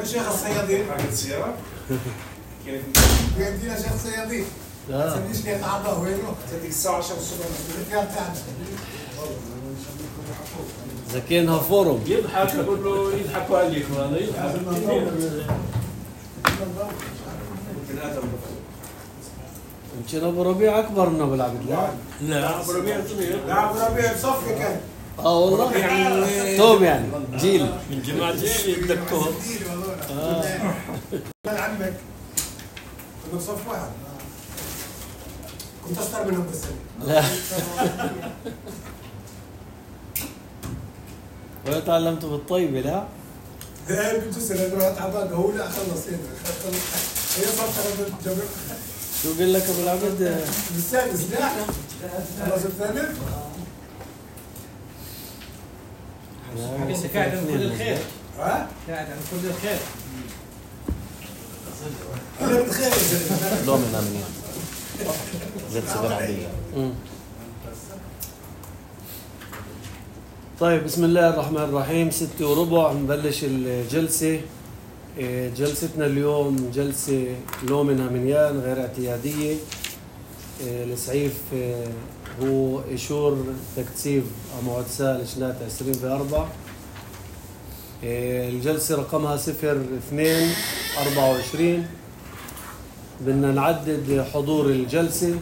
وين شيخ الصيادين؟ عقد سيارة؟ كيف؟ بيدينا شيخ الصيادين. لا تسميش كيف عبا وينه؟ تديك الساعة 10 الصبح. إذا كانها فورم يضحك أقول له يضحكوا عليك والله يضحك. يمكن ابو ربيع اكبر منه بالعبد. لا أبو ربيع صغير. لا أبو ربيع بصفي كان. والله توم يعني جيل من جماعة جيل الدكتور. كان عمك كنا بصف واحد. كنت أشطر منهم بالسنة. لا ولا تعلمت بالطيبة لا؟ لا بجوز أنا رحت عباقة هو لا خلص هنا. هي صفحة الجبل. شو قال لك ابو العبد؟ بالسادس لا. خلص الثالث. انت قاعد عن كل الخير. ها؟ قاعد عن كل الخير. أنا بتخيل. لو من أمنية زيت سكر عادية. طيب بسم الله الرحمن الرحيم. 6:15 نبلش الجلسة. جلستنا اليوم جلسة لو منها منيان غير اعتيادية. السعيف هو إشور تكتسيب موعد سال شنات 20/4. الجلسة رقمها 02/24. بدنا نعدد حضور الجلسة.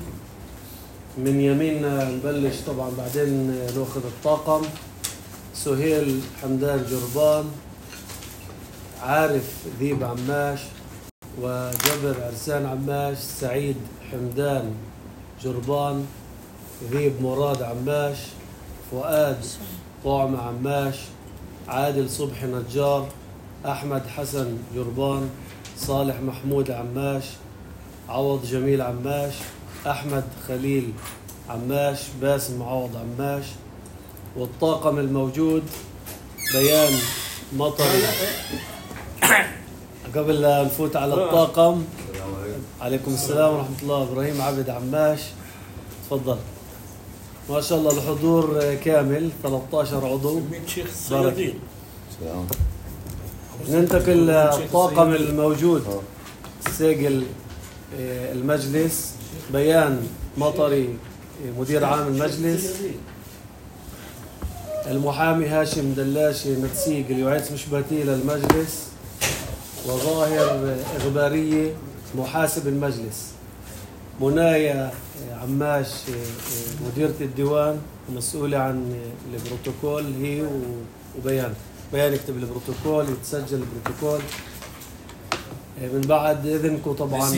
من يميننا نبلش طبعا بعدين ناخذ الطاقم. سهيل حمدان جربان، عارف ذيب عماش، وجبر عرسان عماش، سعيد حمدان جربان، ذيب مراد عماش، فؤاد طعم عماش، عادل صبحي نجار، أحمد حسن جربان، صالح محمود عماش، عوض جميل عماش، أحمد خليل عماش، باسم عوض عماش. والطاقم الموجود بيان مطري. قبل لا نفوت على الطاقم، عليكم السلام ورحمة الله. إبراهيم عبد عماش تفضل. ما شاء الله الحضور كامل 13 عضو. شيخ الصيادين. ننتقل للطاقم الموجود. ساقل المجلس بيان مطري مدير عام المجلس، المحامي هاشم دلاشي نتسيق اليوعيس مشبهتي للمجلس، وظاهر إغبارية محاسب المجلس، منايا عماش مديرة الديوان مسؤولة عن البروتوكول هي وبيان يكتب البروتوكول يتسجل البروتوكول. من بعد إذنكم طبعا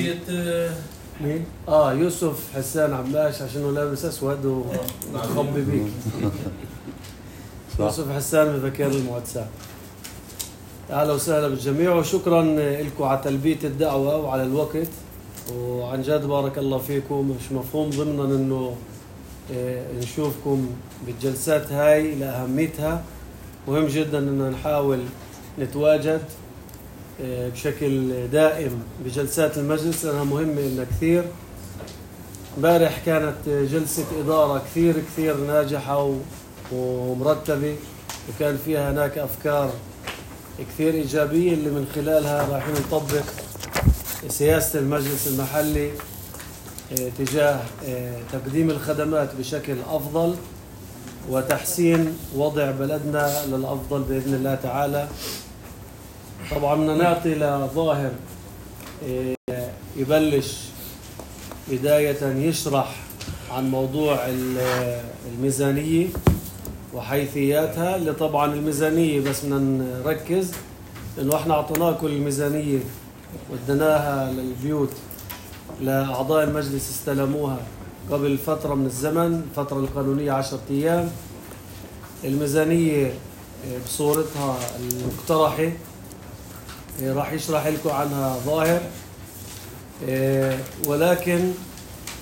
مين؟ يوسف حسان عماش عشانه لابس أسود ومخبي بيك. يوسف حسان من مكان المعتسى. أهلا وسهلا بالجميع وشكرا لكم على تلبية الدعوة وعلى الوقت، وعن جد بارك الله فيكم. مش مفهوم ضمنا انه نشوفكم بالجلسات هاي لأهميتها. مهم جدا اننا نحاول نتواجد بشكل دائم بجلسات المجلس لأنها مهمة لنا كثير. امبارح كانت جلسة إدارة كثير ناجحة ومرتبة، وكان فيها هناك أفكار كثير إيجابية اللي من خلالها رايحين نطبق سياسة المجلس المحلي تجاه تقديم الخدمات بشكل أفضل وتحسين وضع بلدنا للأفضل بإذن الله تعالى. طبعا بدنا نعطي لظاهر يبلش بداية يشرح عن موضوع الميزانية وحيثياتها. اللي طبعا الميزانية بس بدنا نركز انه احنا اعطيناكم الميزانية ودناها للبيوت لأعضاء المجلس استلموها قبل فترة من الزمن، الفترة القانونية 10 أيام. الميزانية بصورتها المقترحة راح يشرح لكم عنها ظاهر، ولكن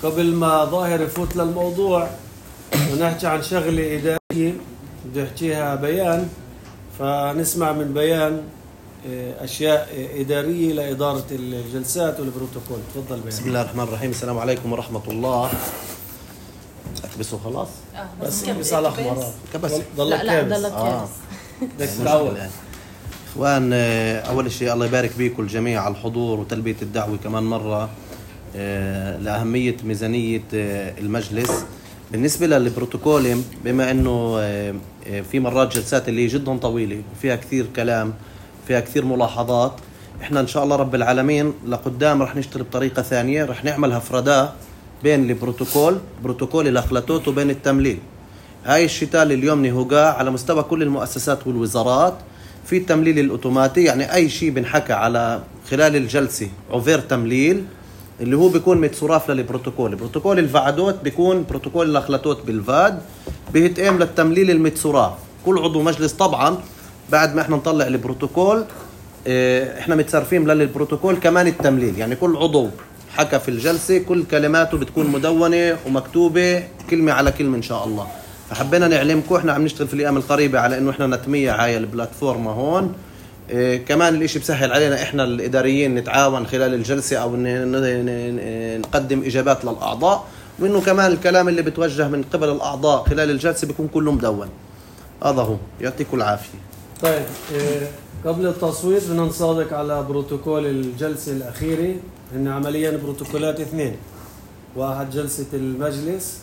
قبل ما ظاهر يفوت للموضوع ونحكي عن شغلة إدارية بده يحكيها بيان، فنسمع من بيان أشياء إدارية لإدارة الجلسات والبروتوكول. تفضل بيان. بسم الله الرحمن الرحيم. السلام عليكم ورحمة الله. أكبسوا خلاص؟ بس كبس على أحمر. كبس؟ ضلك كابس. ضلك كابس. بدك تتعود. اخوان، اول شيء الله يبارك بيكم الجميع على الحضور وتلبية الدعوة كمان مرة لأهمية ميزانية المجلس. بالنسبة للبروتوكول، بما انه في مرات جلسات اللي جدا طويلة وفيها كثير كلام، فيها كثير ملاحظات، احنا ان شاء الله رب العالمين لقدام رح نشتغل بطريقة ثانية، رح نعمل هفرداء بين بروتوكول الاخلاتوت وبين التمليل. هاي الشتاء اللي اليوم نهوقا على مستوى كل المؤسسات والوزارات في التمليل الأوتوماتي، يعني أي شيء بنحكى على خلال الجلسة عفير تمليل اللي هو بيكون متصراف للبروتوكول. بروتوكول الفعدوت بيكون بروتوكول الأخلاتوت بالفاد بيتقام للتمليل المتصراف. كل عضو مجلس طبعا بعد ما احنا نطلع البروتوكول احنا متصرفين للبروتوكول كمان التمليل، يعني كل عضو حكى في الجلسة كل كلماته بتكون مدونة ومكتوبة كلمة على كلمة إن شاء الله. فحبينا نعلمكم، احنا عم نشتغل في الايام القريبه على انه احنا نتميع هاي البلاتفورما هون. كمان الاشي بسهل علينا احنا الاداريين نتعاون خلال الجلسه او نقدم اجابات للاعضاء، وانه كمان الكلام اللي بتوجه من قبل الاعضاء خلال الجلسه بيكون كله مدون. هذا هو، يعطيكم العافيه. طيب قبل التصويت بدنا نصادق على بروتوكول الجلسه الاخيره. هن عمليا بروتوكولات اثنين، واحد جلسه المجلس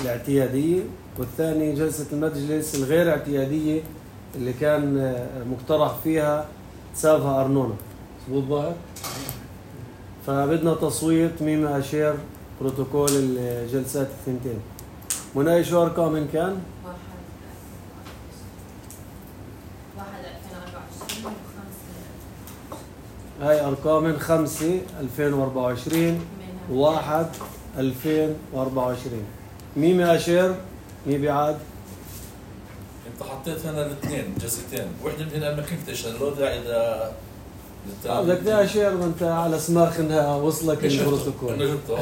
الاعتياديه، والثاني جلسة المجلس الغير اعتيادية اللي كان مقترح فيها تسابها أرنونة. مظبوط ظاهر؟ فبدنا تصويت مين أشير بروتوكول الجلسات الثنتين. مناي شو أرقام إن كان؟ 1/2024 هاي أرقام 5/2024 و1/2024. مين أشير؟ مين بيعاد؟ انت حطيت هنا الاثنين جلستين، وحده من هنا ما كنتش لو داعي بدك ده شير وانت على سماخ انها وصلك البروتوكول. انا جبته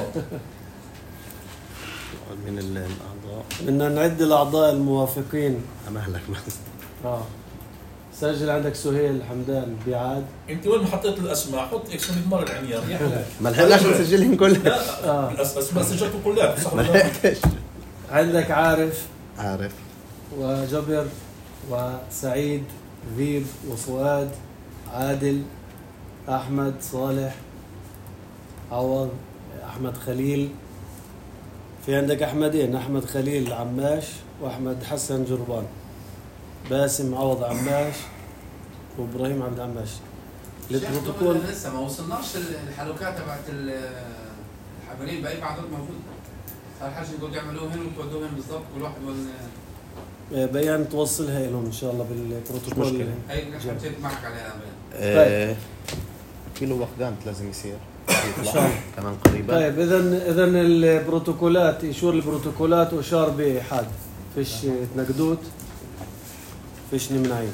من الاعضاء بدنا نعد الاعضاء الموافقين. امهلك بس. سجل عندك سهيل حمدان بيعاد. انت وين ما حطيت الاسماء حط اكس من مره العنيان. ما لحقناش نسجلهم كلها. الاسماء سجلتهم كلها صح. ما لحقتش. عندك عارف وجبر وسعيد ذيب وفؤاد عادل أحمد صالح عوض أحمد خليل. في عندك أحمدين، أحمد خليل عماش وأحمد حسن جربان. باسم عوض عماش وإبراهيم عبد عماش. البروتوكول لسه ما وصلناش الحلقات تبعت الحبرين بأي بعضهم موجود. صار حاجة يقول يعملوه هنا وتودوه هنا بالضبط كل واحد بيان توصلها لهم ان شاء الله بالبروتوكول. هي حكيت معك عليها طيب. كيلو وقدام لازم يصير ان شاء الله كمان قريبا. طيب اذا البروتوكولات يشور البروتوكولات واشار بحاد، فيش تنقدوت، فيش نمنعين.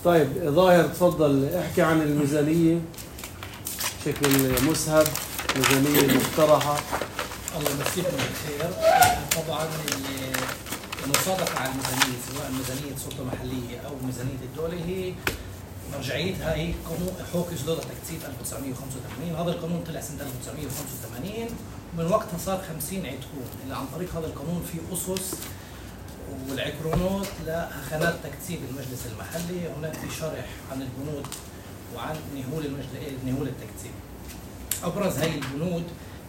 طيب ظاهر تفضل احكي عن الميزانيه بشكل مسهب، ميزانيه مقترحه. الله يمسيكم بالخير. طبعا المصادقه على الميزانيه سواء ميزانيه سلطه محليه او ميزانيه الدوله هي مرجعيتها هي قانون حقوق إصدار التكتيف 1985. هذا القانون طلع سنه 1985 ومن وقتها صار 50 عقرون اللي عن طريق هذا القانون في اسس والعقرونات لخانات تكتيف المجلس المحلي. هناك في شرح عن البنود وعن نهول التكتيف. ابرز هي البنود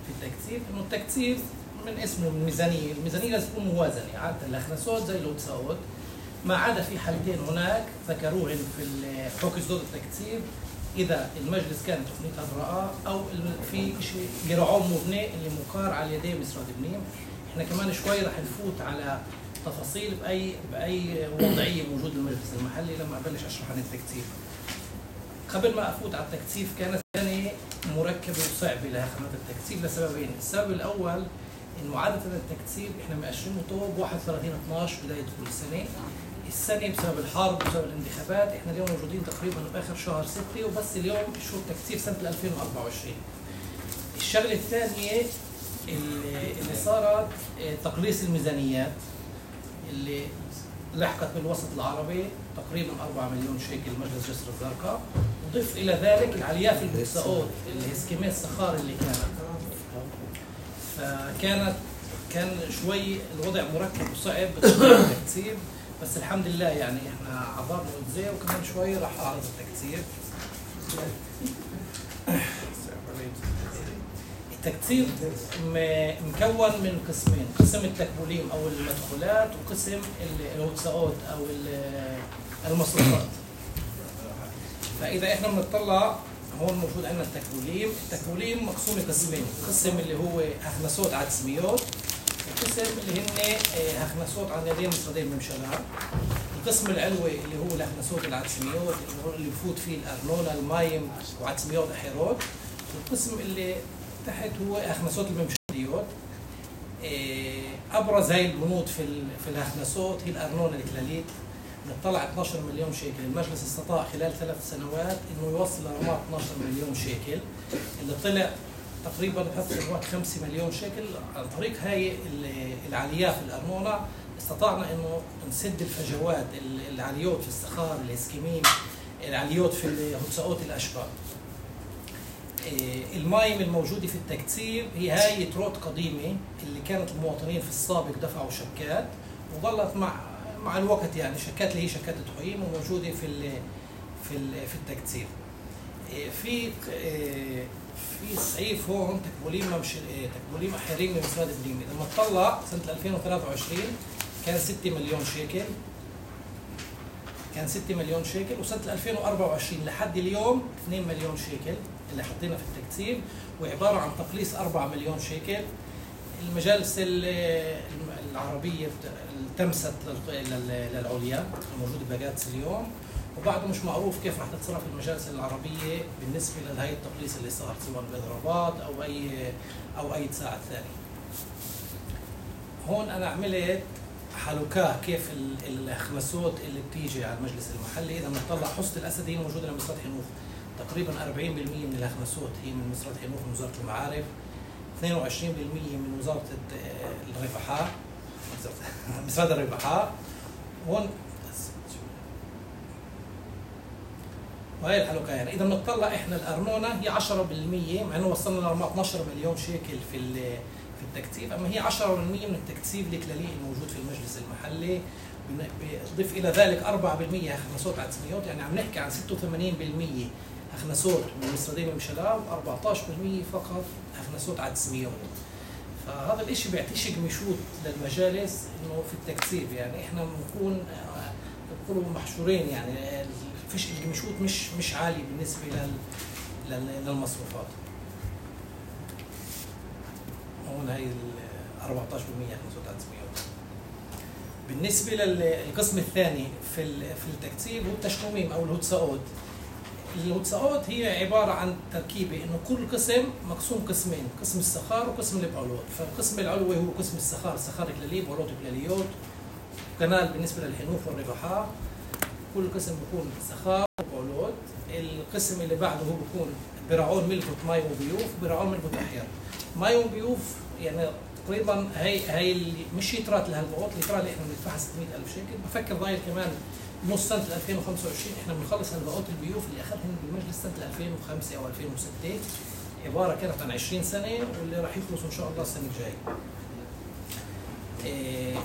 في التكتيف انه التكتيف من اسمه الميزانيه لازم تكون موازنه. عاده الاخناسات زي الاوتساوت، ما عدا في حالتين هناك ذكروهن في حقوق إصدار التكتيف، اذا المجلس كانت تقنيتها براءه او في شيء قرعون مبني اللي مقار على يدي مسراد بنيم. احنا كمان شوي رح نفوت على تفاصيل باي وضعيه موجود المجلس المحلي لما ابلش اشرح عن التكتيف. قبل ما افوت على التكتيف كانت سنه مركبه وصعبه لها خدمات التكتيف لسببين. السبب الاول انه عاده التكتيف احنا مأشرينه طوب 31/12 بدايه كل سنه. السنه بسبب الحرب وبسبب الانتخابات احنا اليوم موجودين تقريبا باخر شهر 6 وبس اليوم شهور تكتيف سنه 2024. الشغله الثانيه اللي صارت تقليص الميزانيات اللي لحقت بالوسط العربي تقريبا 4 مليون شيكل مجلس جسر الزرقاء. وضيف الى ذلك العليا في البوكساوت الاسكيمات الصخار اللي كان شوي الوضع مركب وصعب بالتكتيف. بس الحمد لله يعني احنا عبرنا الزي وكمان شوي راح اعرض التكتير. التكتير مكون من قسمين، قسم التكبوليم او المدخولات وقسم الهوتساوت او المصروفات. فاذا احنا بنطلع هون موجود عندنا التكبوليم مقسوم لقسمين، قسم اللي هو هخنسوت عدسميوت وقسم اللي هن هخنسوت عن يدين مصدين ممشلات. القسم العلوي اللي هو الهخنسوت العدسميوت اللي بفوت فيه الارنونا المايم وعدسميوت احيروت، والقسم اللي تحت هو هخنسوت الممشليوت. ابرز هاي البنود في الهخنسوت هي الارنونا الكلاليت، نطلع 12 مليون شيكل. المجلس استطاع خلال 3 سنوات انه يوصل لرمات 12 مليون شيكل، اللي طلع تقريبا بهذه الوقت 5 مليون شيكل. عن طريق هاي العاليات في الارنونا استطعنا انه نسد الفجوات العاليات في الصخار، الاسكيميم، العاليات في الهوتساوت الاشبال. المايم الموجوده في التكتيب هي هاي تروت قديمه اللي كانت المواطنين في السابق دفعوا شكات، وظلت مع الوقت يعني شكات اللي هي شكات التحويم وموجوده في التكتيب. في صعيف هون تكبوليم احيرين من مسراد بريمي. لما تطلع سنه 2023 كان 6 مليون شيكل، كان 6 مليون شيكل، وسنه 2024 لحد اليوم 2 مليون شيكل اللي حطينا في التكتيب، وعباره عن تقليص 4 مليون شيكل. المجالس العربيه التمست للعليا الموجوده بباجاتس اليوم، وبعده مش معروف كيف راح تتصرف المجالس العربيه بالنسبه لهي التقليص اللي صار، سواء بالاضرابات او اي تساعد ثاني. هون انا عملت حلقاه كيف الخمسوت اللي بتيجي على المجلس المحلي. اذا بنطلع حصة الاسد هي موجوده لمسرات حنوف، تقريبا 40% من الخمسوت هي من مسرات حنوف من وزاره المعارف، 22% من وزاره الرفحاء مسرات الرفحاء. هون وهي الحلقه يعني. اذا بنطلع احنا الارنونه هي 10%، مع انه وصلنا ل 12 مليون شيكل في التكتيب، اما هي 10% من التكتيب الكلالي الموجود في المجلس المحلي. بضيف الى ذلك 4% هخنسوت عدسميوت، يعني عم نحكي عن 86% هخنسوت من مصردين ومشلاء، و14% فقط هخنسوت عدسميوت. فهذا الاشي بيعطيش جمشوت للمجالس انه في التكتيب، يعني احنا بنكون بنقولوا محشورين، يعني فيش الجمشوت مش عالي بالنسبه للمصروفات. هون هي 14% هخنسوت عدسميوت. بالنسبه للقسم الثاني في التكتيب هو التشميم او الهوتساوت. الهوتساوت هي عباره عن تركيبه انه كل قسم مقسوم قسمين، قسم السخار وقسم البعولوت. فالقسم العلوي هو قسم السخار، سخار كلالي، بعولوت كلاليوت، كنال بالنسبه للحنوف والرفحاء. كل قسم بيكون سخار وبعولوت. القسم اللي بعده هو بيكون براعون ملفت ماي وبيوف، براعون ملفت احيار. ماي وبيوف يعني تقريبا هي اللي مش يترات لهالبعوض، اللي اللي احنا بندفعها 600,000 شيكل. بفكر ضايل كمان نص سنه 2025 احنا بنخلص هالبعوض البيوف اللي اخذهم بالمجلس سنه 2005 او 2006، عباره كانت عن 20 سنه واللي راح يخلصوا ان شاء الله السنه الجايه.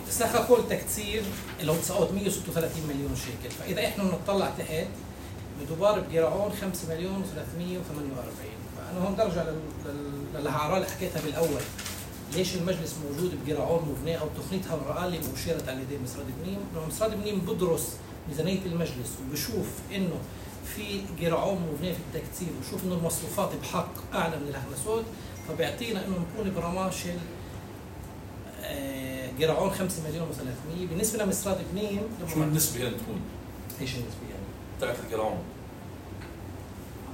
سخا كل تكتير اللي هو 136 مليون شيكل. فاذا احنا بنطلع تحت بدوبار بجرعون 5 مليون و348. فانا هون برجع للهعراء اللي حكيتها بالاول، ليش المجلس موجود بجرعون مبنيه او تقنيتها الرئال اللي مشيرت على يدي مسراد بنيم. لما مسراد بنيم بدرس ميزانيه المجلس وبشوف انه في جرعون مبنيه في التكتير وشوف انه المصروفات بحق اعلى من الهخنسوت، فبيعطينا انه نكون برماشل جرعون 5 مليون و300. بالنسبه لمسراد بنيم شو النسبه يعني تكون؟ ايش النسبه يعني؟ تاعت الجرعون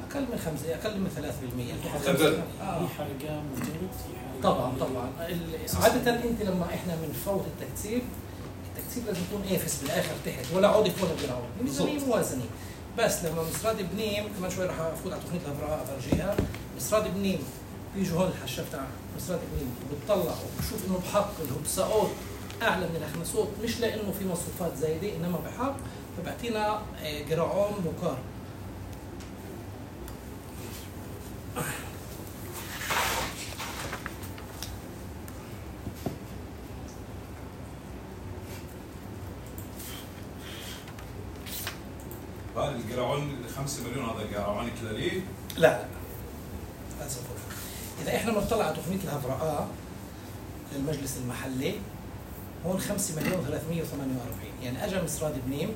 اقل من 5 اقل من 3%. في حرقان وجلد طبعا عادة انت لما احنا بنفوت التكتيب لازم يكون ايفس بالاخر تحت، ولا عودف ولا جرعون، ميزانيه موازنه. بس لما مسراد بنيم كمان شوي راح افوت على تقنيه الابراء افرجيها. مسراد بنيم بيجوا هون الحشاف تاع مسراد بنيم بتطلع وبشوف انه بحق الهوتساوت اعلى من الهخنسوت، مش لانه في مصروفات زايده انما بحق، فبعطينا جرعون مقارن. هذا الجرعون 5 مليون هذا جرعون كلالي؟ لا إذا إحنا بنطلع على تقنية الهفراء للمجلس المحلي هون 5 مليون 348. يعني أجا مصراد بنيم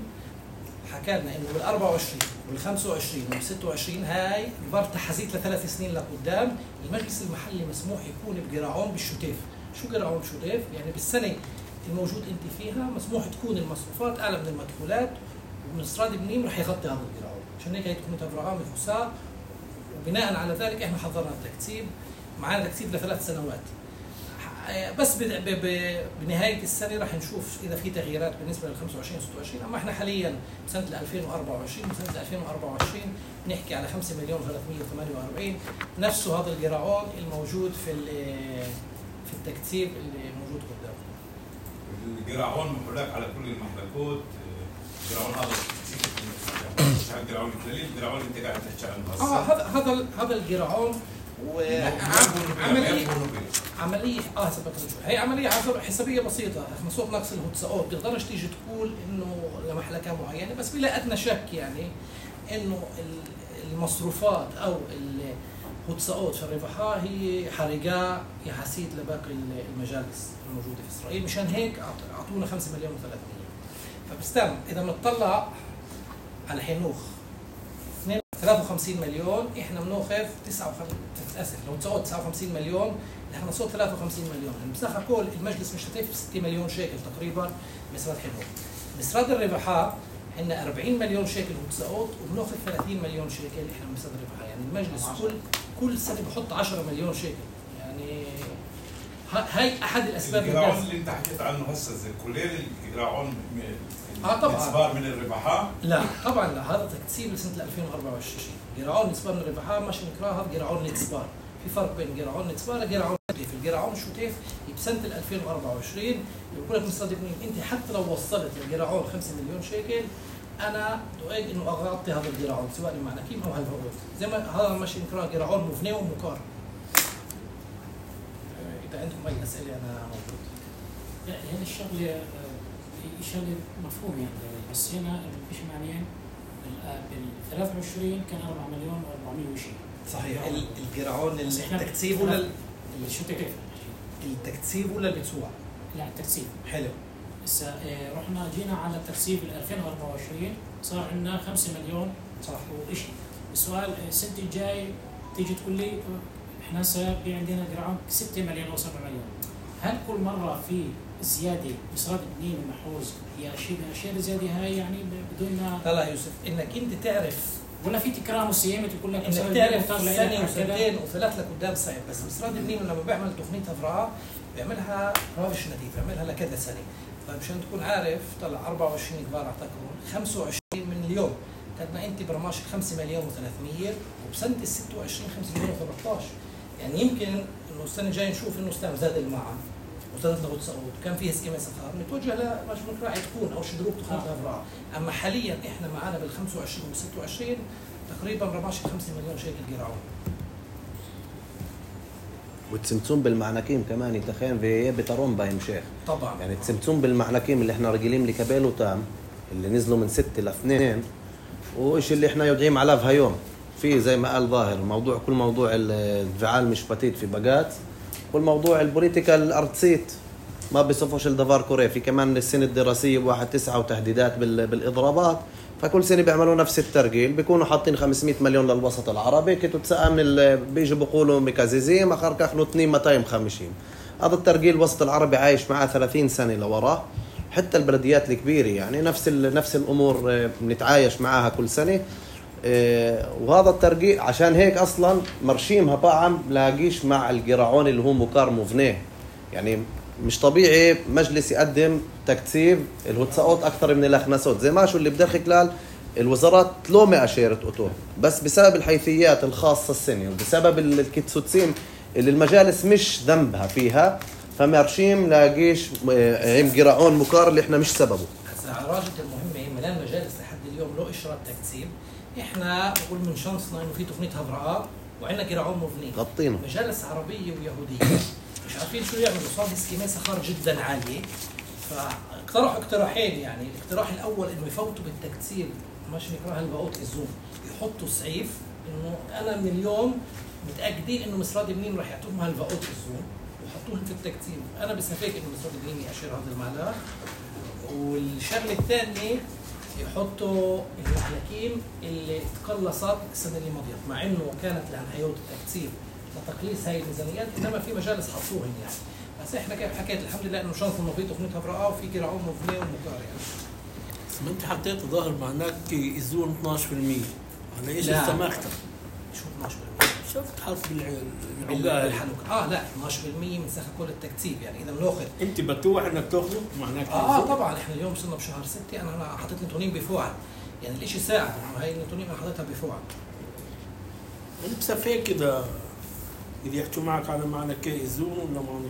حكى لنا إنه بال24 وبال25 وبال26 هاي عبارة تحازيت ل3 سنين لقدام. المجلس المحلي مسموح يكون بجرعون بالشتيف. شو جرعون شتيف؟ يعني بالسنة الموجود أنت فيها مسموح تكون المصروفات أعلى من المدخولات، ومصراد بنيم رح يغطي هذا الجرعون. عشان هيك هي تقنية هفراء مفحوصة، وبناء على ذلك احنا حضرنا التكتيب. معنا تكتيب ل3 سنوات بس بنهاية السنة راح نشوف إذا في تغييرات بالنسبة لل 25 26. أما احنا حاليا بسنة 2024 وسنة 2024 نحكي على 5 مليون 348 نفسه هذا الجرعون الموجود في التكتيب اللي موجود قدامنا. الجرعون محلاك على كل المحلكات. الجرعون هذا الجرعون الكلالي، الجرعون اللي انت قاعد تحكي عنه هذا الجرعون عملية هي عملية حسابية بسيطة. مصروف نقص الهوتساوت بتقدرش تيجي تقول إنه لمحلكة معينة، بس بلا أدنى شك يعني إنه المصروفات أو الهوتساوت في الربحة هي حرجة يحاسيد لباقي المجالس الموجودة في إسرائيل. مشان هيك أعطونا 5 مليون و300. فبستم إذا بنطلع على حنوخ 53 مليون، احنا بناخذ 59 مليون، احنا صوت 53 مليون. يعني بصراحه كل المجلس مش هتف 6 مليون شيكل تقريبا مسراد حنوخ. مسراد الربحاء عندنا 40 مليون شيكل هوتساوت، وبناخذ 30 مليون شيكل احنا من مسراد الربحاء. يعني المجلس كل سنه بحط 10 مليون شيكل. يعني هاي احد الاسباب. الجرعون اللي انت حكيت عنه هسه زي كليل الجرعون طبعا نسبار من الربحاء؟ لا طبعا لا، هذا تكتيب لسنه 2024. جرعون نسبار من الربحاء ماشي نكراه، هذا جرعون نسبار. في فرق بين جرعون نسبار وجرعون شتيف. الجرعون الشتيف بسنه 2024 بقول لك مصادق مين انت حتى لو وصلت لجرعون 5 مليون شيكل انا دعيت انه اغطي هذا الجرعون سواء مع نكيم او هالفروض. زي ما هذا ماشي نكراه جرعون مفني ومقار. اذا عندكم اي اسئله انا موجود. لا هذه الشغله شغله مفهوم يعني، بس هنا مش معنيين بال 23 كان 4 مليون و400 وشيء. صحيح. الجرعون التكتيب ولا شو كيف؟ التكتيب ولا البتسوع؟ لا التكتيب. حلو. هسه رحنا جينا على التكتيب 2024 صار عندنا 5 مليون صح وشيء. السؤال السنه الجاي تيجي تقول لي احنا هسه في عندنا جرعون 6 مليون او 7 مليون. هل كل مره في زياده مصراد بنين ومحوز هي اشياء زياده هاي يعني بدون لا يوسف انك انت تعرف ولا في تكرار وصيامه تقول لك انك تعرف سنه وسنتين وثلاث لقدام صعب. بس مصراد بنين لما بيعمل تقنيه هفراء بيعملها رابش نتيجه، بيعملها لكذا سنه. فمشان تكون عارف طلع 24 كبار اعتقدون 25 من اليوم كنا انت برماش 5 مليون و300 وبسنه ال 26 5 مليون و13. يعني يمكن انه السنه الجايه نشوف انه استعمل زاد المعن وزادت له هوتساوت كان فيه اسكيمه سخار متوجه لمش راح تكون او شدروب تكون هفراء. اما حاليا احنا معنا بال 25 وال 26 تقريبا رماش 5 مليون شيكل جرعون. والتسمسم بالمعنكيم كمان يتخين في بترون باين شيخ طبعا. يعني التسمسم بالمعنكيم اللي احنا رجلين لكبيل وتام اللي نزلوا من 6 ل 2 وإيش اللي احنا يودعين على في هيوم في زي ما قال ظاهر موضوع كل موضوع الفعال مش فتيت في بقات والموضوع البوليتيكال ارتسيت ما بيصفوش الدفار كوري. في كمان السنه الدراسيه ب1/9 وتهديدات بالاضرابات، فكل سنه بيعملوا نفس الترجيل بيكونوا حاطين 500 مليون للوسط العربي كنتوا تسأل من بيجوا بيقولوا مكازيزيم اخر كاخلوا 250. هذا الترجيل الوسط العربي عايش معاه 30 سنه لوراه. حتى البلديات الكبيره يعني نفس الامور بنتعايش معاها كل سنه. وهذا الترجيل عشان هيك اصلا مرشيمها طعم لاقيش مع الجرعون اللي هو مكار مفنيه. يعني مش طبيعي مجلس يقدم تكتيب الهوتساوت اكثر من الاخناسوت زي ما شو اللي بدخل خلال الوزارات تلومي اشيره اوتو بس بسبب الحيثيات الخاصه السنه وبسبب الكتسوتسين اللي المجالس مش ذنبها فيها فمرشيم لاقيش جرعون مكار اللي احنا مش سببه. هسه راجل المهمه ملان مجالس لحد اليوم له اشراط تكتيب. احنا بقول من شانسنا انه في تقنيه هفراء وعندنا جرعون مفني غطينه مجالس عربيه ويهوديه مش عارفين شو يعملوا. صار اسكيمات سخار جدا عاليه فاقترحوا اقتراحين. يعني الاقتراح الاول انه يفوتوا بالتكتيب ماشي نكره الباقوت الزوم يحطوا سعيف انه انا من اليوم متاكدين انه مصراد بنين راح يعطوهم هالباقوت الزوم ويحطوهم في التكتيب. انا بسافيك انه مصراد بنين يأشر هذا المعلق. والشغله الثانيه يحطوا المحلكين اللي تقلصت السنه اللي مضيت، مع انه كانت لها حيوت التكتيب لتقليص هاي الميزانيات، انما في مجالس حطوهن يعني. بس احنا كيف حكيت الحمد لله انه شانس انه في تقنيتها برقه وفي كراعون مبنيه ومكار يعني. بس ما انت حطيت ظاهر معناك يزون 12%، على ايش استماكتك؟ شو 12%؟ شفت حاط بالحلوك لا 12% من سخ كل التكتيب يعني. اذا بناخذ انت بتوح انك تاخذه معناك طبعا احنا اليوم صرنا بشهر 6 انا حطيت نتونين بفوعل يعني الاشي ساعد انه هاي النتونين انا حطيتها بفوعل. انت بسافيك اذا يحكوا معك على معنى ايزون ولا معنى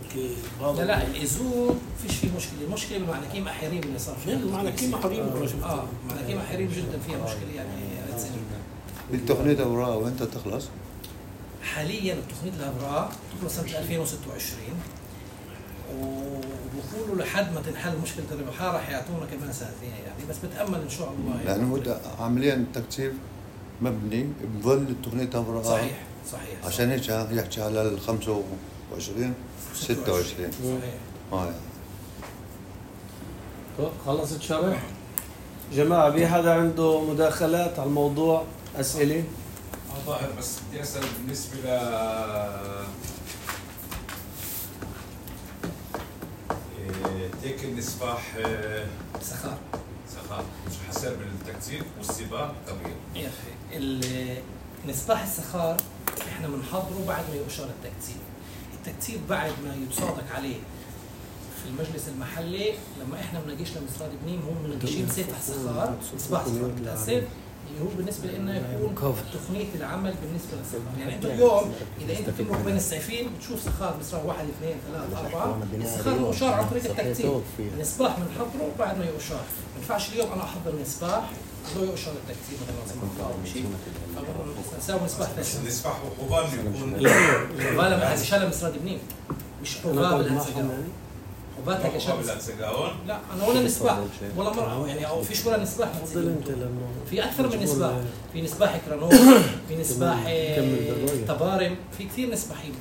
هذا؟ لا الايزون فيش فيه مشكله، المشكله بالمعنكين محيرين اللي صار فيه. المعنكين محيرين معنكين محيرين جدا فيها مشكله يعني. التقنية اوراق وانت تخلص؟ حاليا التقنية الأوراق تخلص سنة 2026 وبقولوا لحد ما تنحل مشكلة الربحية راح يعطونا كمان سنتين يعني، بس بتأمل إن شاء الله يعني. لأنه عمليا التكتيب مبني بظل التقنية اوراق. صحيح عشان هيك يحكي على ال 25 26 صحيح. خلصت شرح؟ جماعة في حدا عنده مداخلات على الموضوع؟ أسئلة؟ ظاهر بس بدي اسال بالنسبه تيك النسفاح سخار مش حسب بالتكتيب والسباق كبير يا اخي. النسفاح السخار احنا بنحضره بعد ما يؤشر التكتيب بعد ما يتصادق عليه في المجلس المحلي. لما احنا بنجيش لمصراد بنين هم منجشين سيف السخار مصباح سخار الاسد اللي هو بالنسبه لنا يكون تقنيه العمل بالنسبه للسخار. يعني انتم اليوم اذا انت بتمرق بين السيفين بتشوف سخار مصراه 1 2 3 4 السخار مؤشر عن طريق التكتيب. النسباح بنحضره بعد ما يؤشر. ما ينفعش اليوم انا احضر نسباح وهو يؤشر التكتيب مثلا شيء نساوي نسباح ثاني. النسباح وحبان يكون حبال هذه شلة مصراد بنين مش حباب الهنسجاون. حباتها كشاب لا انا ولا نسباح ولا مرة يعني او فيش ولا نسباح. في اكثر من نسباح، في نسباح كرانوف، في نسباح تبارم، في كثير نسباحين.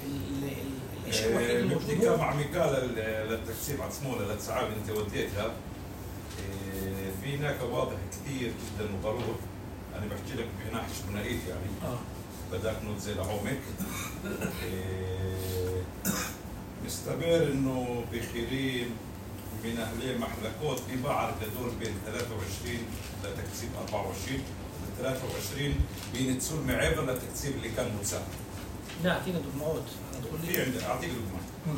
الشيء الوحيد الموجود هو مع ميكال للتكسيب على سموله للسعاب اللي انت وديتها في هناك واضح كثير جدا وضرور. انا بحكي لك بناحيه بنائيت يعني بدك نوت زي لعومك مستمر انه بخيرين من اهلي محلكوت في بعض تدور بين 23 لتكسيب 24 و 23 بين تسول معيبر للتكسيب اللي كان متساهل. لا اعطينا دغمات. في عندي اعطيك دغمات.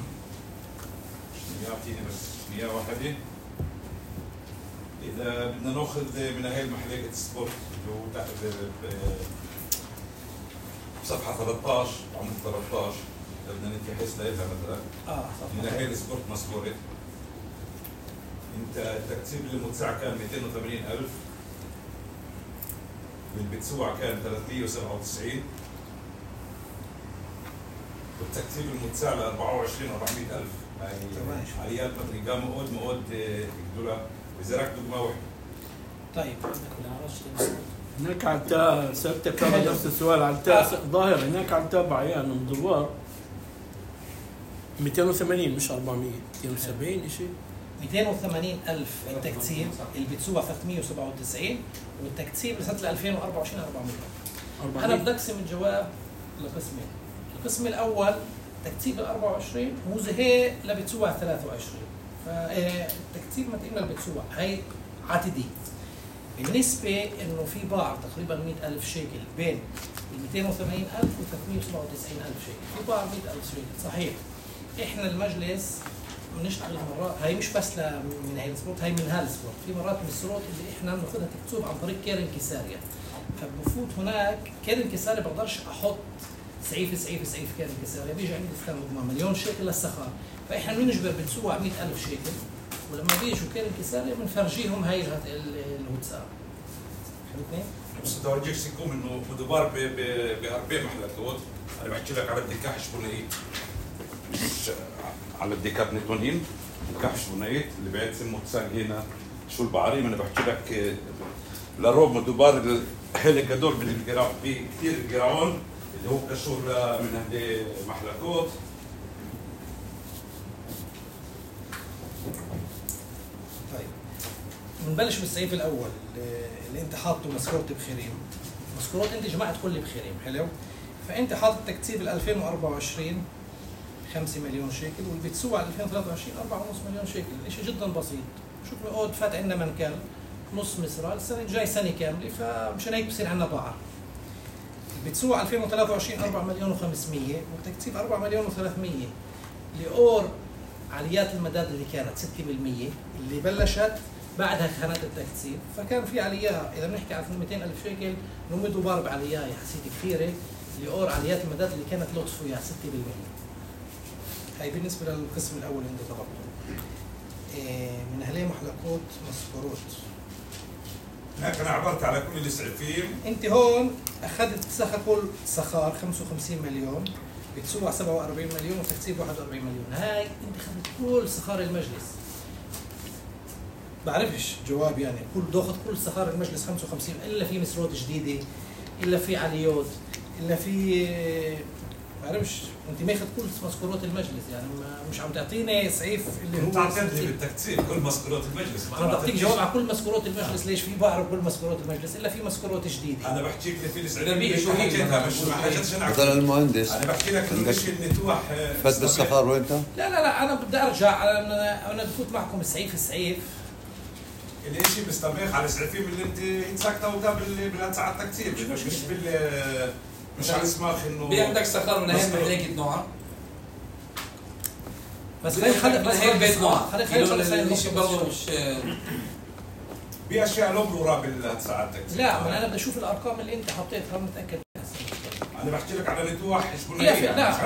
يعطيني بس 100 واحده. اذا بدنا ناخذ من هاي المحلية سبورت اللي هو صفحه 13 عمود 13 بدنا نتيحس لها مثلا من هاي السبورت مسكورة. انت التكتيب اللي متسع كان 280,000 والبتسوع كان 397 والتكتيب المتسع ل 24 400,000 عاليات مثل قام مؤود دولار وزرعك دقمة واحدة. طيب هناك على سألتك نفس السؤال على ظاهر هناك على تابع يعني مدوار 280 مش 400 270 شيء 280,000 التكتيب اللي بتسوى 397 والتكتيب لسنة 2024 400. أنا بدي أقسم الجواب لقسمين. القسم الأول تكتيب ال 24 هو زي اللي بتسوى 23 فالتكتيب ما تقلنا اللي بتسوى هي عتدي. بالنسبة إنه في بعض تقريبا 100,000 شيكل بين 280,000 و 397,000 شيكل في بعض 100,000 شيكل صحيح. إحنا المجلس بنشتغل مرات هي مش بس من هاي السبورت هي من هالسبورت في مرات من السبورت اللي إحنا بناخذها تكتوب عن طريق كيرن كساريا. فبفوت هناك كيرن كساريا بقدرش أحط سعيف كيرن كساريا بيجي عندي استخدام مليون شيكل للسخار. فإحنا بنجبر بنسوى 100,000 شيكل ولما بيجوا كيرن كساريا بنفرجيهم هاي الواتساب. فهمتني؟ بس بدي اورجيك سيكون انه مدبار باربع محلات. انا بحكي لك على الدكاح شبونايت مش على الدكات نتونين دكاح شبونايت اللي بعد سمه تساق هنا شو البعريم. انا بحكي لك لروم ودوبار هيك هدول من الجراعون، في كثير الجراعون اللي هو كشور من محلكوت. طيب بنبلش بالسيف الاول اللي انت حاطه مسكوت بخيريم. مسكوت انت جمعت كل بخيريم، حلو؟ فانت حاطط تكتيب 2024 5 مليون شيكل، واللي بتسوى على 2023 4.5 مليون شيكل، شيء جدا بسيط. شوف العقود فات عندنا منكل نص مصرال، السنه الجاي سنه كامله، فمشان هيك بصير عندنا ضاعه. بتسوى على 2023 4 مليون و500 وتكتيب 4 مليون و300 لأور عاليات المداد اللي كانت 6% اللي بلشت بعدها خانات التكتيب، فكان في عليا اذا بنحكي عن 200,000 شيكل نمدوا ضارب عليا حسيت كثيره لأور عاليات المداد اللي كانت لو تصفوا اياها 6%. هاي بالنسبه للقسم الاول اللي انت طلبته. من اهليه محلقوت مسكروت. هناك انا عبرت على كل الاسعافين. انت هون اخذت كل سخار 55 مليون بتسوى 47 مليون وتكتيب 41 مليون. هاي انت اخذت كل سخار المجلس. بعرفش جواب يعني باخذ كل سخار المجلس 55 الا في مسرود جديده الا في عليوت الا في بعرفش انت ماخذ كل مسكورات المجلس، يعني مش عم تعطيني سعيف اللي هو انت عطيتني بالتكتيب كل مسكورات المجلس. انا بعطيك جواب على كل مسكورات المجلس. ليش؟ في بعرف كل مسكورات المجلس الا في مسكورات جديده. انا بحكيك اللي في الاسعافين شو حكيتها، مش ما حكيتش انا. مثلا المهندس انا بحكي لك انه الشيء النتوح فات بالسخار وين انت؟ لا انا بدي ارجع انا بفوت معكم السعيف الاشي بيستبيخ على الاسعافين اللي انت ساكته بالساعات التكتيب، مش على اسماخ انه في عندك سخار من اهم محلية نوعا. بس خلينا هي بيت نوع خلينا الشيء برضه مش باشياء لهم ورا بالساعات التكتيب. لا ما انا بدي اشوف الارقام اللي انت حطيتها متاكد. انا بحكي لك على نتوح حشبونيه. لا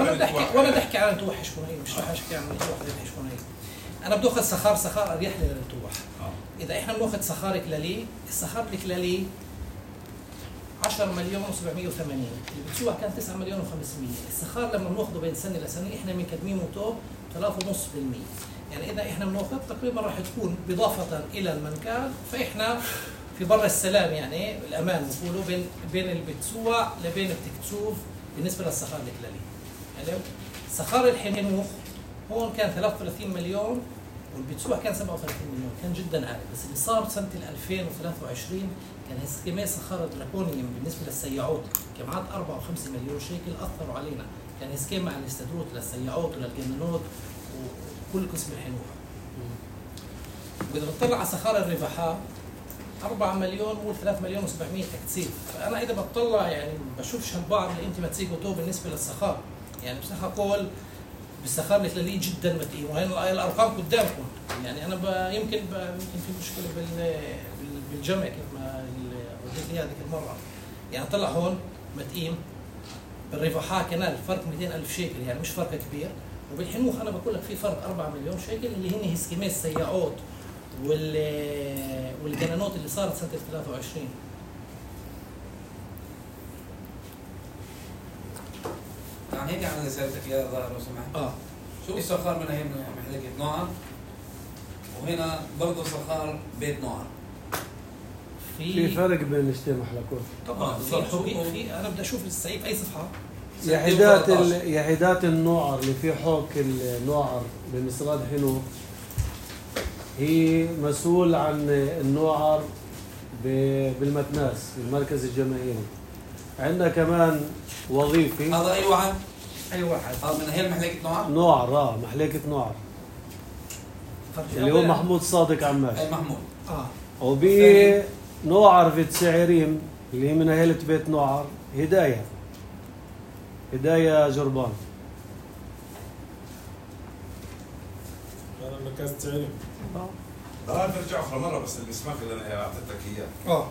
وانا بدي احكي على نتوح حشبونيه، مش رح احكي عن نتوح حشبونيه. انا بدي اخذ سخار اريح لي للنتوح. اذا احنا بناخذ سخار كلالي، السخار الكلالي 10 مليون و780 اللي بتسوى كان 9 مليون و500. السخار لما بناخذه بين سنه لسنه احنا مقدمينه توب 3.5%. يعني اذا احنا بناخذ تقريبا راح تكون اضافه الى المنكال، فاحنا في بر السلام يعني الامان بقولوا بين البتسوى لبين التكتوف بالنسبه للسخار الكلالي. يعني سخار الحنوخ هون كان 33 مليون والبتسوع كان 37 مليون، كان جدا عالي. بس اللي صار سنه 2023 كان اسكيمات سخاره دراكونيوم بالنسبه للسياعات، جمعات 4 و5 مليون شيكل اثروا علينا. كان اسكيم مع الاستدروت للسياعات وللجنانات وكل قسم الحنوح. واذا بتطلع على سخاره الرباحات 4 مليون و3 مليون و700 تكتيب. فانا اذا بطلع يعني بشوفش هالبعض اللي انت ما تسيقوا تو بالنسبه للسخار. يعني بصراحه اقول بالسخار الكلالي جدا متين، وهي الارقام قدامكم. يعني انا يمكن في مشكله بالجمع كيف ما وديت لي هذيك المره. يعني طلع هون متقيم بالرفاحة كنال فرق 200,000 شيكل، يعني مش فرق كبير. وبالحنوخ انا بقول لك في فرق 4 مليون شيكل اللي هن اسكيمات السياعات والجنانات اللي صارت سنه 23. يعني هيك انا سالتك يا ظاهر لو سمحت. شو السخار من هي محلية نوعا، وهنا برضه سخار بيت نوعا. في فرق بين الاثنين محلكوت. طبعا في انا بدي اشوف السعيف اي صفحه. يحيدات النوعر اللي في حوك النوعر بمصراد حنوخ هي مسؤول عن النوعر بالمتناس المركز الجماهيري. عندنا كمان وظيفي. هذا اي واحد؟ اي واحد. هذا من هي محلية نوعر؟ نوعر محلية نوعر اللي هو محمود صادق عماش. اي محمود. وبي نوعر في تسعيريم اللي هي من أهلة بيت نوعر هداية جربان. أنا مركز تسعيريم. نرجع اخر مره بس المسماخ اللي انا اعطيتك اياه.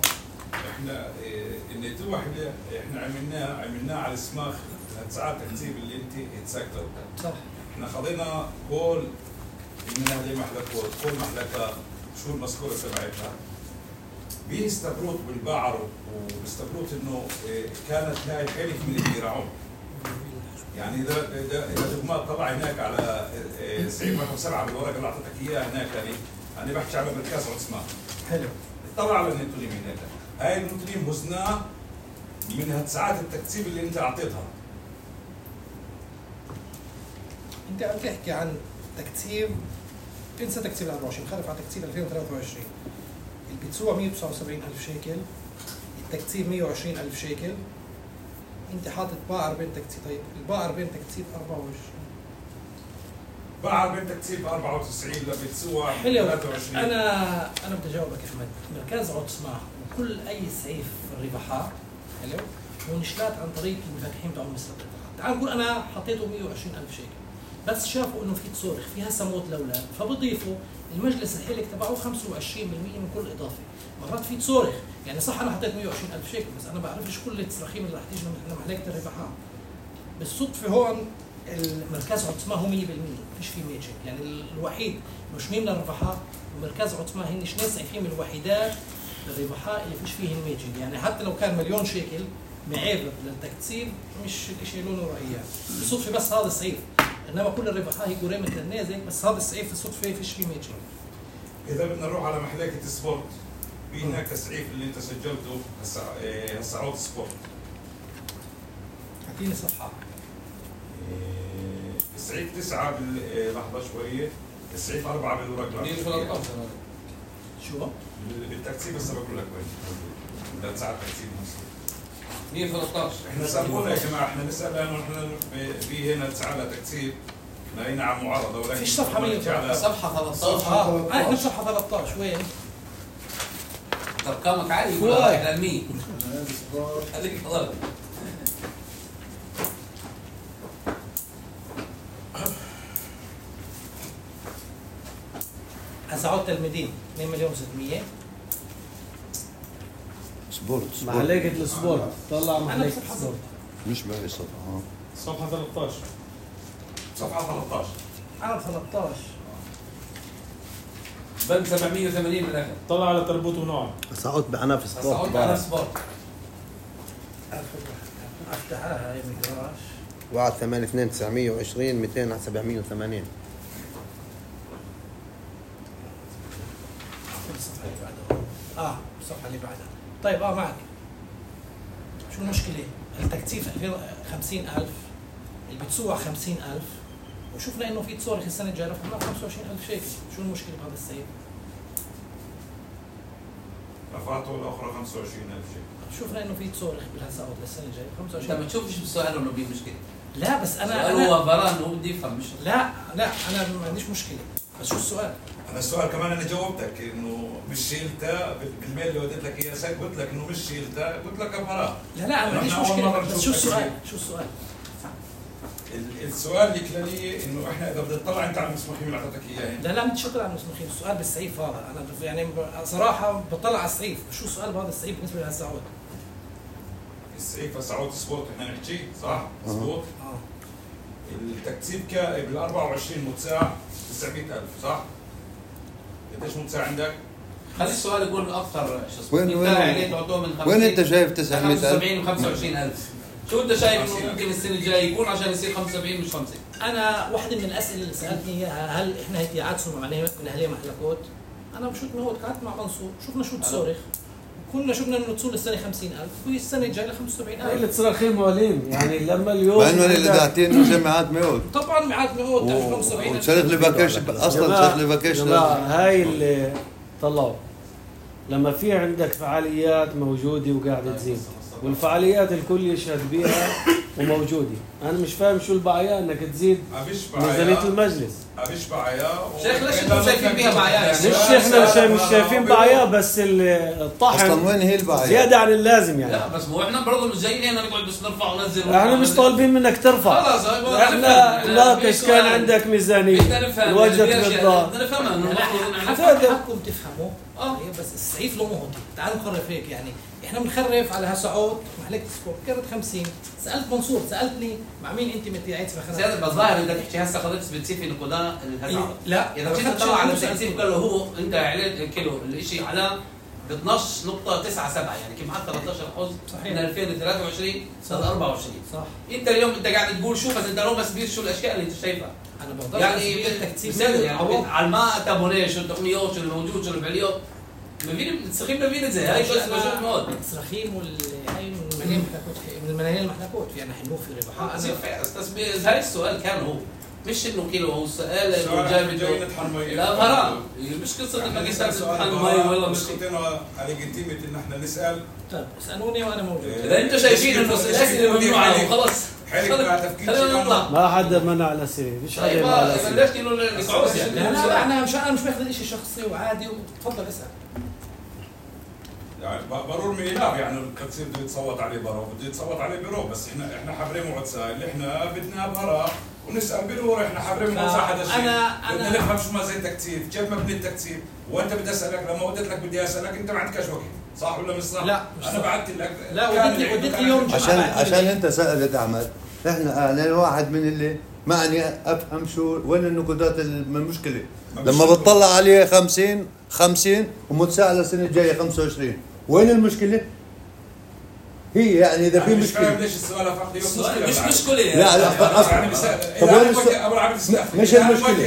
احنا النتوح اللي احنا عملناه على السماخ ساعات تكتيب اللي انت اتسكتوا. صح. احنا خذينا كل من هذه المحلكات، كل محلكه شو المذكوره تبعتها. بيستبروت بالبعر وبيستبروت انه كانت هاي حلف من الجراعون. يعني اذا دغمات طلع هناك على سعيد رقم 7 بالورقه اللي اعطيتك اياها هناك، يعني انا بحكي على مركز عثمان. حلو. طلع على النتونيم هناك. هاي المديرين وزنها من ساعات التكتيب اللي انت اعطيتها. انت عم تحكي عن تكتيب، انسى تكتيب 24، خلف عن تكتيب 2023. البتسوع 179,000 شيكل، التكتيب 120,000 شيكل، انت حاطط باعر بين تكتيب. طيب الباعر بين تكتيب 24، باعر بين تكتيب 94 لبتسوع حلو. 23. انا بدي اجاوبك يا احمد. مركز عطسمة وكل اي سيف في الربحات حلو هو نشلات عن طريق المفكحين بتوع مصر. تعال نقول انا حطيته 120,000 شيكل، بس شافوا انه في تصرخ في هسه موت الاولاد، فبضيفوا المجلس الحلك تبعه 25% من كل اضافه. مرات في تصرخ، يعني صح انا حطيت 120,000 شيكل بس انا ما بعرفش كل التصراخيم اللي رح تيجي من محلكه الربحات. بالصدفه هون المركز عطسمة هو 100%، فيش فيه ميجنج، يعني الوحيد مش مين من الربحات ومركز عطسمة هن اثنين سيفين من الوحيدات الربحات اللي فيش فيهن ميجنج. يعني حتى لو كان مليون شيكل معيب للتكتيب مش الشيء لونه رأيان بالصدفه، بس هذا السيف. انما كل الربحات هي قريمه النازك، بس هذا السيف الصدفه فيش فيه ميجنج. اذا بدنا نروح على محلكه سبورت، في هناك السعيف اللي انت سجلته هسه عود سبورت. اعطيني صفحه. السعيف 9 لحظه شويه، السعيف 4 بالورق. 113 شو؟ بالتكتيب هسه بقول لك وين بدها تساعد تكتيب نفسه. 113 احنا سالونا يا جماعه، احنا نسال لانه احنا في هنا تسعى تكتيب لقينا على معارضه، ولكن فيش صفحه 100 صفحه 13. احنا صفحه 13 وين؟ ارقامك عاليه يقول احنا ال 100 هذيك غلط. هسه عود تلميذين 2,600,000 سبورت محلكة السبورت. طلع محلكة السبورت مش بهي الصفحة. صفحة 13. صفحة 13 انا 13 بند 780 بالاخر. طلع على تربوط ونوع. سعود انا في سبورت. سعود انا في سبورت. افتحها هاي مقراش. 1 8 2 920 200 780. الصفحه اللي بعدها الصفحه اللي بعدها. طيب معك. شو المشكله؟ التكتيف 50,000 اللي بتسوع 50,000 وشفنا انه في تصاريخ السنه الجايه رفعنا 25,000 شيكل. شو المشكله بهذا السيف؟ رفعته الاخرى 25,000 شيكل. شفنا انه في تصاريخ بالهساوات للسنه الجايه 25,000. انت ما تشوفش بالسؤال انه في مشكله. لا بس انا هو بران هو بدي يفهم مش لا انا ما عنديش مشكله، بس شو السؤال؟ انا السؤال كمان انا جاوبتك انه مش شيلتها بالميل اللي وديت لك اياه، قلت لك انه مش شيلتها، قلت لك ابراء. لا انا ما عنديش مشكله، بس شو السؤال؟ شو السؤال؟ السؤال الكلالي انه احنا اذا بدنا نطلع انت على المسموحين اللي اعطيتك اياه. لا بدي اطلع على المسموحين، السؤال بالسيف هذا، انا يعني صراحه بطلع على السيف، شو السؤال بهذا السيف بالنسبه لهالسعود؟ السيف سعود سبورت احنا نحكي صح؟ سبورت؟ التكتيب بال 24 متساع 900,000 صح؟ قديش متساع عندك؟ خلي السؤال يقول اكثر شو اسمه. وين انت شايف 900,000؟ 75 و25,000. شو انت شايف انه ممكن السنه الجايه يكون عشان يصير 75 مش 50؟ انا واحده من الاسئله اللي سالتني اياها، هل احنا هيك عادسوا مع من اهليه محلكوت؟ انا بشوف انه هو قعدت مع منصور، شفنا شو تصرخ، كنا شفنا انه تصور السنه 50,000 والسنه الجايه ل 75,000. اللي تصرخين موالين يعني لما اليوم مع انه اللي داعتين جماعات مئات. طبعا مئات مئات 75,000 وصرت لي فاكيشن اصلا، صرت لي فاكيشن. هاي اللي طلعوا لما في عندك فعاليات موجوده وقاعده تزيد، والفعاليات الكل يشهد بيها وموجوده. انا مش فاهم شو البعيا انك تزيد ميزانيه المجلس. ابيش بعيا شيخ ليش انتم شايفين بيها بعيا؟ مش احنا مش شايفين بعيا، بس الطحن اصلا وين هي البعيا؟ زياده عن اللازم يعني. لا بس مو احنا برضه مش جايين هنا نقعد بس نرفع وننزل. احنا مش طالبين منك ترفع. خلاص احنا ناقش كان عندك ميزانيه وجدت بالدار. بدنا نفهمها انه حقكم تفهموا. بس السعيف له مهد. تعالوا نخرف هيك يعني. احنا بنخرف على هالسعود محلكة سبورت كانت 50. سالت منصور، سالتني مع مين انت متيعيت في سيادة الظاهر انت تحكي هسه قضيه سبيسيفي نقودها الهزعه. لا اذا جيت تطلع على التكتيب كله هو انت عليت كيلو الشيء على ب 12.97 يعني كيف معك 13% من 2023 سنه 24 صح. انت اليوم انت قاعد تقول شو بس انت لو بس بير شو الاشياء اللي انت شايفها. انا بقدر يعني التكتيب يعني على ما تابونيش والتقنيات والموجود والفعليات السخيم مبينة زي هاي بس موجود هون. السخيم هاي من الملايين المحلكات في أنا حنوفي ربحاء. بس هاي السؤال كان هو مش انه كيلو، هو سؤال انه جاي نطحن مي. لا مرام مش قصه انك تطحن مي ولا مش على ليجيتيميت ان احنا نسال. طيب اسالوني وانا موجود. اذا انتم شايفين انه الاسئله ممنوعه وخلص خلينا نطلع. ما حدا منع الاسئله، مش حدا منع الاسئله. ليش كيلو نقعوز يعني؟ لا انا مش باخذ شيء شخصي وعادي وتفضل اسال. يعني برور ميلاب يعني التكسير بده يتصوت عليه برا وبده يتصوت عليه برو، بس احنا حابرين معتسى اللي احنا بدنا برا ونسال برور. احنا حابرين معتسى هذا الشيء. بدنا نفهم شو ما زي التكتيف، كيف مبني التكتيف، وانت بدي اسالك لما وديت لك بدي اسالك انت ما عندكش وقت، صح ولا مش صح؟ لا انا بعثت لك. لا وديت لي يوم عشان انت سالت احمد، انا واحد من اللي معني افهم شو وين النقودات المشكله. لما بتطلع عليه 50 ومتساءل السنه الجايه 25، وين المشكله؟ هي يعني اذا في مشكله. مش فاهم ليش السؤال فقط السؤال مش مشكله يعني. لا يعني طب وين السؤال؟ مش المشكله.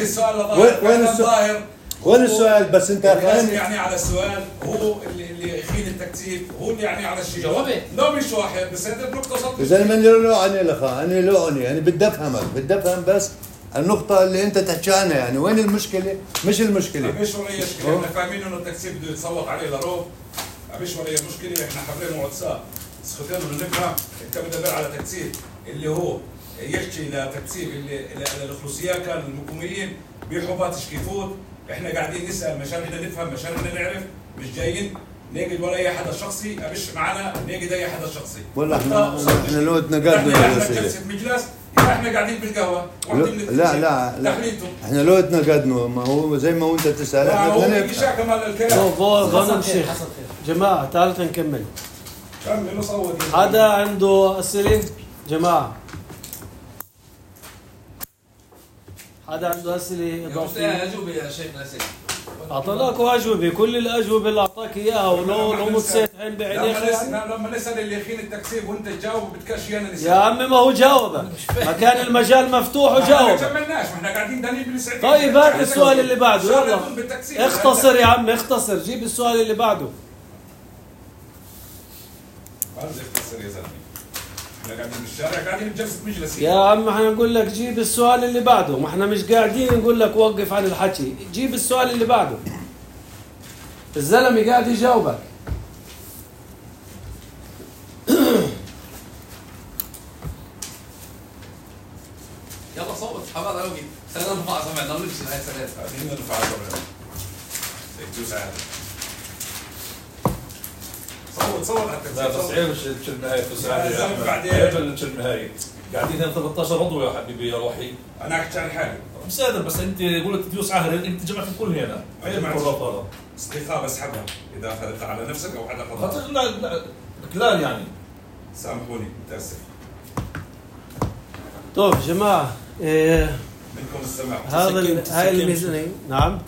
وين السؤال؟ وين السؤال؟ بس انت يعني على السؤال هو اللي يخيل التكتيف، هو اللي يعني على الشيء. جوابي لا مش واحد بس هذا النقطه صدق. يا زلمه انا لو انا بدي افهم بس النقطة اللي أنت تحكي عنها، يعني وين المشكلة؟ مش المشكلة. مش ولا مشكلة، احنا فاهمين إنه التكسير بده يتصوت عليه لروب. مش ولا مشكلة، احنا حابين معتسى. بس خلينا نفهم، أنت بتدبر على تكسير اللي هو يحكي لتكسير اللي الخصوصيات كان المقوميين بحبات شكيفوت، احنا قاعدين نسأل مشان احنا نفهم، مشان احنا نعرف، مش جايين نجد ولا أي حدا شخصي، مش معنا نجد أي حدا شخصي. والله احنا لو تنقدنا جلسة مجلس احنا قاعدين بالقهوه لا احنا لو تنقدنا ما هو زي ما انت تسال احنا بدنا كمال الكلام. جماعه تعالوا نكمل. كمل نصوت. حدا عنده اسئله؟ جماعه حدا عنده اسئله اضافيه؟ اجوبه يا شيخ ناسي. اعطيناكوا اجوبه، كل الاجوبه اللي اعطاك اياها ولو متسيت عين بعينيك. لما نسال اللي يخين التكسير وانت تجاوب بدكش انا نسال. يا عمي ما هو جاوبك، ما كان المجال مفتوح وجاوب. ما كملناش، احنا قاعدين دانين بالسعيد. طيب هات السؤال اللي بعده، يلا اختصر يا عمي اختصر، جيب السؤال اللي بعده. ما بدي اختصر يا زلمه، احنا قاعدين بالشارع قاعدين بجلسه مجلس. يا عم احنا نقول لك جيب السؤال اللي بعده، ما احنا مش قاعدين نقول لك وقف عن الحكي، جيب السؤال اللي بعده. الزلمه قاعد يجاوبك. يلا صوت حبايب على وجهي. خلينا نرفع سمعنا ونمشي هاي السنه. خلينا نرفع سمعنا. دوس عادي. صوت على التكسير. لا بس عيب النهاية في بعدين النهاية قاعدين هنا 13 عضو يا حبيبي يا روحي. انا احكي عن حالي. مش قادر بس انت قلت تدوس عهر انت جمعت الكل هنا. استيقاظ اسحبها اذا اخذتها على نفسك او حدا خطأ. لا يعني سامحوني متاسف. طيب جماعه منكم السماح. هاي الميزانيه نعم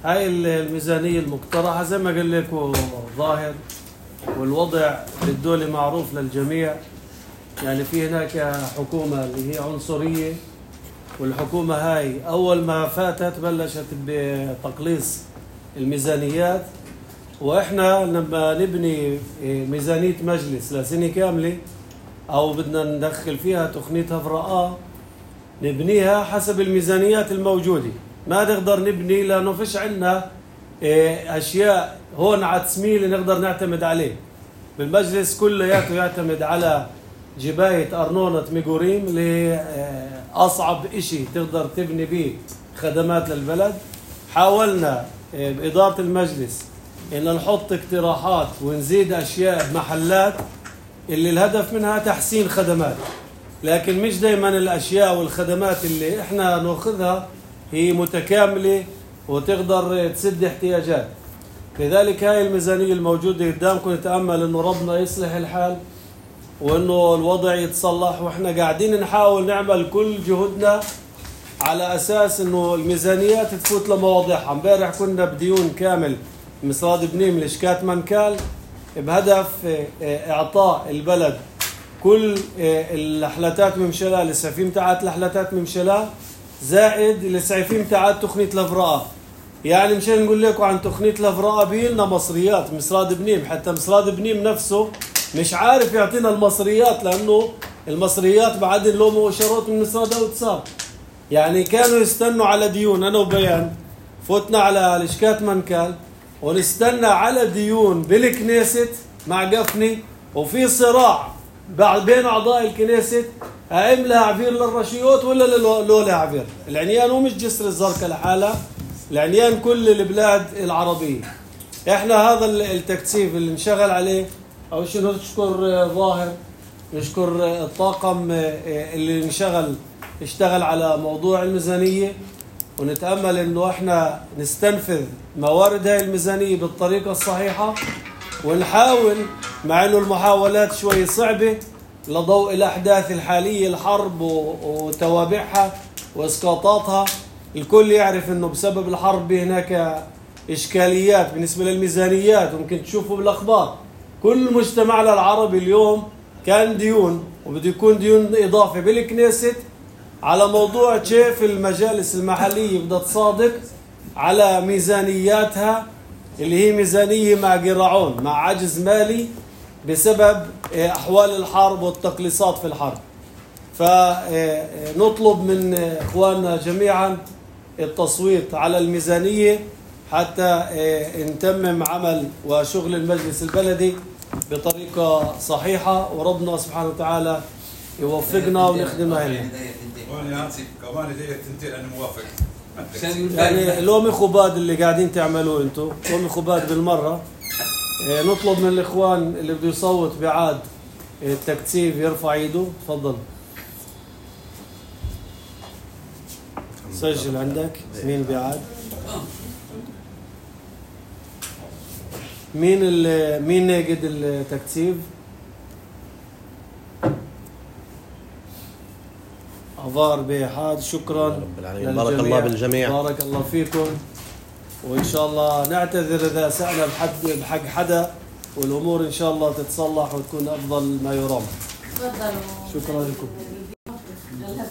هاي الميزانيه المقترحه زي ما قال لكم ظاهر، والوضع بالدولة معروف للجميع. يعني في هناك حكومة اللي هي عنصرية، والحكومة هاي أول ما فاتت بلشت بتقليص الميزانيات، وإحنا لما نبني ميزانية مجلس لسنة كاملة أو بدنا ندخل فيها تقنية هفرقاء نبنيها حسب الميزانيات الموجودة. ما نقدر نبني لأنه فيش عنا أشياء هون على تسميل نقدر نعتمد عليه. بالمجلس كلياته يعتمد على جباية أرنونة ميغوريم اللي أصعب إشي تقدر تبني به خدمات للبلد. حاولنا بإدارة المجلس إن نحط اقتراحات ونزيد أشياء محلات اللي الهدف منها تحسين خدمات، لكن مش دايما الأشياء والخدمات اللي إحنا نأخذها هي متكاملة وتقدر تسد احتياجات. لذلك هاي الميزانية الموجودة قدامكم نتأمل إنه ربنا يصلح الحال وإنه الوضع يتصلح، وإحنا قاعدين نحاول نعمل كل جهدنا على أساس إنه الميزانيات تفوت لمواضعها. امبارح كنا بديون كامل مصراد بنيم لشكات منكال بهدف إعطاء البلد كل الحلتات ممشلة لسعفيم تعات الحلتات ممشلة زائد السعفيم تعات تقنية الهفرقاء. يعني مشان نقول لكم عن تقنية الافراء بيلنا مصريات مصراد بنيم، حتى مصراد بنيم نفسه مش عارف يعطينا المصريات لانه المصريات بعدين له مؤشرات من مصراد اوتساب. يعني كانوا يستنوا على ديون، انا وبيان فوتنا على لشكات منكال ونستنى على ديون بالكنيست مع قفني، وفي صراع بين اعضاء الكنيست هايم لها عبير للرشيوت ولا لو لها عبير. العنيان هو مش جسر الزرقاء لحالها، العنيان كل البلاد العربية. احنا هذا التكثيف اللي انشغل عليه اول شيء نشكر ظاهر، نشكر الطاقم اللي اشتغل على موضوع الميزانية، ونتأمل انه احنا نستنفذ موارد هاي الميزانية بالطريقة الصحيحة، ونحاول مع انه المحاولات شوي صعبة لضوء الاحداث الحالية، الحرب وتوابعها واسقاطاتها. الكل يعرف انه بسبب الحرب هناك اشكاليات بالنسبة للميزانيات، وممكن تشوفوا بالاخبار كل مجتمعنا العربي اليوم كان ديون، وبده يكون ديون اضافة بالكنيست على موضوع كيف المجالس المحلية بدها تصادق على ميزانياتها اللي هي ميزانية مع قراعون، مع عجز مالي بسبب أحوال الحرب والتقليصات في الحرب. فنطلب من إخواننا جميعا التصويت على الميزانية حتى نتمم عمل وشغل المجلس البلدي بطريقة صحيحة، وربنا سبحانه وتعالى يوفقنا ونخدمها هنا. كمان هدية تنتين أنا موافق. يعني لومي خباد اللي قاعدين تعملوه انتم، لومي خباد بالمرة. نطلب من الإخوان اللي بده يصوت بعاد التكثيف يرفع ايده. تفضل سجل عندك مين بعاد، مين ناقد التكثيف. عبار بحاد. شكرا بارك الله بالجميع، بارك الله فيكم، وإن شاء الله نعتذر إذا سأنا بحق حدا، والأمور إن شاء الله تتصلح وتكون أفضل ما يرام. شكرا لكم.